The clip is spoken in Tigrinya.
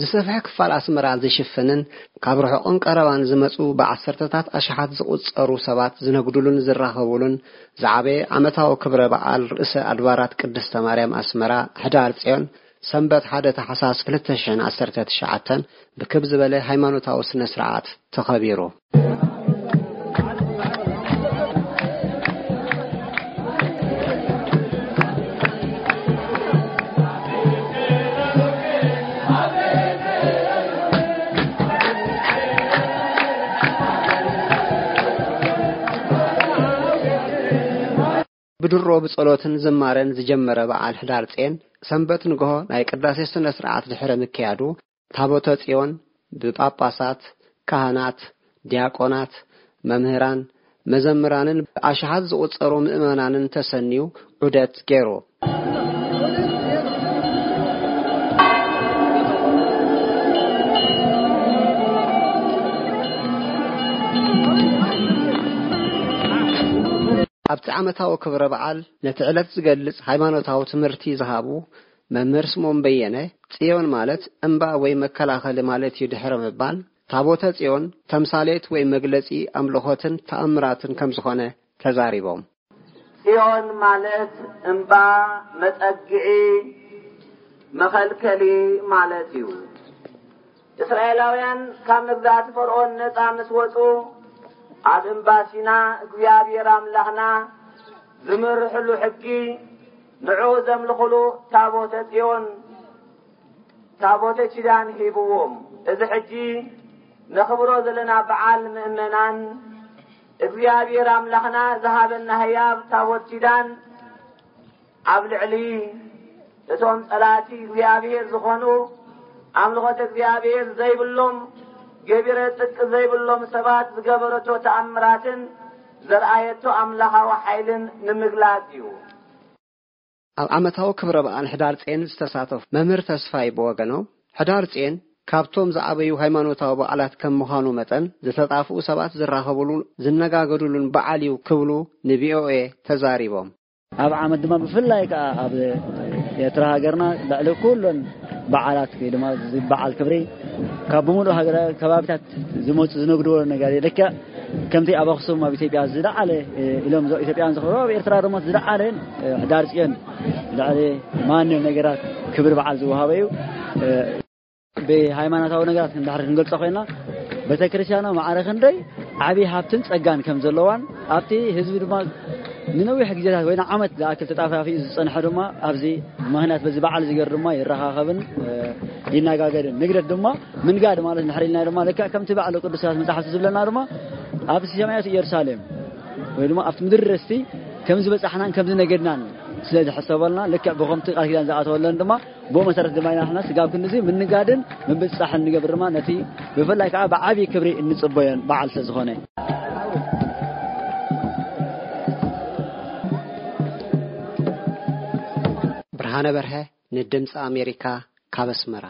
ዝሰፍሐ ክፋል ኣስመራ ዝሽፍንን ካብ ርሑቕን ቀረባን ዝመጹ ብዓሰርተታት ኣሽሓት ዝቑጸሩ ሰባት ዝነግዱሉን ዝራኸቡሉን ዝዓበየ ዓመታዊ ክብረ በዓል ርእሰ ኣድባራት ቅድስተ ማርያም ኣስመራ፣ ሕዳር ጽዮን፣ ሰንበት ሓደ ታሕሳስ ክልተ ሽሕን ዓሰርተ ትሽዓተን ብክብ ዝበለ ሃይማኖታዊ ስነ ስርዓት ተኸቢሩ። ብድሮ ብጸሎትን ዝማረን ዝጀመረ በዓል ሕዳር ጼን፣ ሰንበት ንግሆ ናይ ቅዳሴ ስነ ስርዓት ድሕሪ ምክያዱ፣ ታቦተ ጽዮን ብጳጳሳት፣ ካህናት፣ ዲያቆናት፣ መምህራን፣ መዘምራንን ብኣሽሓት ዝቑጸሩ ምእመናንን ተሰንዩ ዑደት ገይሩ። ኣብቲ ዓመታዊ ክብረ በዓል ነቲ ዕለት ዝገልጽ ሃይማኖታዊ ትምህርቲ ዝሃቡ መምህር ስምኦን በየነ፣ ጽዮን ማለት እምባ ወይ መከላኸሊ ማለት እዩ ድሕሪ ምባል፣ ታቦተ ጽዮን ተምሳሌት ወይ መግለጺ ኣምልኾትን ተኣምራትን ከም ዝኾነ ተዛሪቦም። ጽዮን ማለት እምባ፣ መጸግዒ፣ መኸልከሊ ማለት እዩ። እስራኤላውያን ካብ መግዛእቲ ፈርዖን ነጻ ምስ ወጹ፣ ኣብ እምባ ሲና እግዚኣብሔር ኣምላኽና ዝመርሕሉ ሕጊ፣ ንዑ ዘምልኹሉ ታቦተ ጽዮን፣ ታቦተ ኪዳን ሂብዎም። እዚ ሕጂ ነኽብሮ ዘለና በዓል ምእመናን፣ እግዚኣብሔር ኣምላኽና ዝሃበና ህያብ ታቦት ኪዳን ኣብ ልዕሊ እቶም ጸላእቲ እግዚኣብሔር ዝኾኑ፣ ኣምልኾት እግዚኣብሔር ዘይብሎም፣ ገቢረ ጽድቂ ዘይብሎም ሰባት ዝገበረቶ ተኣምራትን ዘርኣየቶ ኣምላኻዊ ሓይልን ንምግላጽ እዩ። ኣብ ዓመታዊ ክብረ በዓል ሕዳር ጼን ዝተሳተፉ መምህር ተስፋይ ብወገኖም፣ ሕዳር ጼን ካብቶም ዝዓበዩ ሃይማኖታዊ በዓላት ከም ምዃኑ መጠን፣ ዝተጣፍኡ ሰባት ዝራኸቡሉ፣ ዝነጋገዱሉን በዓል እዩ ክብሉ ንቪኦኤ ተዛሪቦም። ኣብ ዓመት ድማ ብፍላይ ከኣ ኣብ ኤርትራ ሃገርና ልዕሊ ኩሎን በዓላት ወይ ድማ እዚ በዓል ክብሪ ካብ ብምሉእ ሃገር ከባቢታት ዝመጹ ዝነግድዎ ነገር እዩ። ልክዕ ከምቲ ኣብ ኣኽሱም ኣብ ኢትዮጵያ ዝለዓለ፣ እ፣ ኢሎም ዞ-፣ ኢትዮጵያውያን ዝኽብርዎ ኣብ ኤርትራ ድማ ዝለዓለ፣ እ፣ ሕዳር ጽዮን ልዕሊ ማንም ነገራት ክብሪ በዓል ዝወሃበ እዩ። እ፣ ብሃይማኖታዊ ነገራት እንድሕር ክንገልጾ ኮይና፣ ቤተክርስትያናዊ ማዕረ ክንደይ ዓብዪ ሃብትን ጸጋን ከም ዘለዋን፣ ኣብቲ ህዝቢ ድማ ንነዊሕ ግዜታት ወይ ንዓመት ዝኣክል ተጣፋፊኡ ዝጸንሐ ድማ ኣብዚ ምኽንያት በዚ በዓል እዚ ገይሩ ድማ ይረኻኸብን፣ እ፣ ይነጋገርን። ንግደት ድማ ምንጋድ ማለት እንድሕር ኢልና ድማ ልክዕ ከምቲ ባዕሉ ቅዱሳት መጻሕፍቲ ዝብለና ድማ ኣብቲ ሰማያዊት ኢየሩሳሌም ወይ ድማ ኣብቲ ምድሪ ርስቲ ከም ዝበጻሕናን ከም ዝነገድናን ስለ ዝሕሰበልና፣ ልክዕ ብኸምቲ ቃል ኪዳን ዝኣተወለን ድማ ብኡ መሰረት ድማ ኢና ንሕና ስጋብ ክንድዚ ምንጋድን ምብጻሕን ንገብር ድማ ነቲ ብፍላይ ከዓ ብዓብዪ ክብሪ እንጽበዮን በዓል ስለ ዝኾነ። ብርሃነ በርሀ ንድምፂ ኣሜሪካ ካብ ኣስመራ።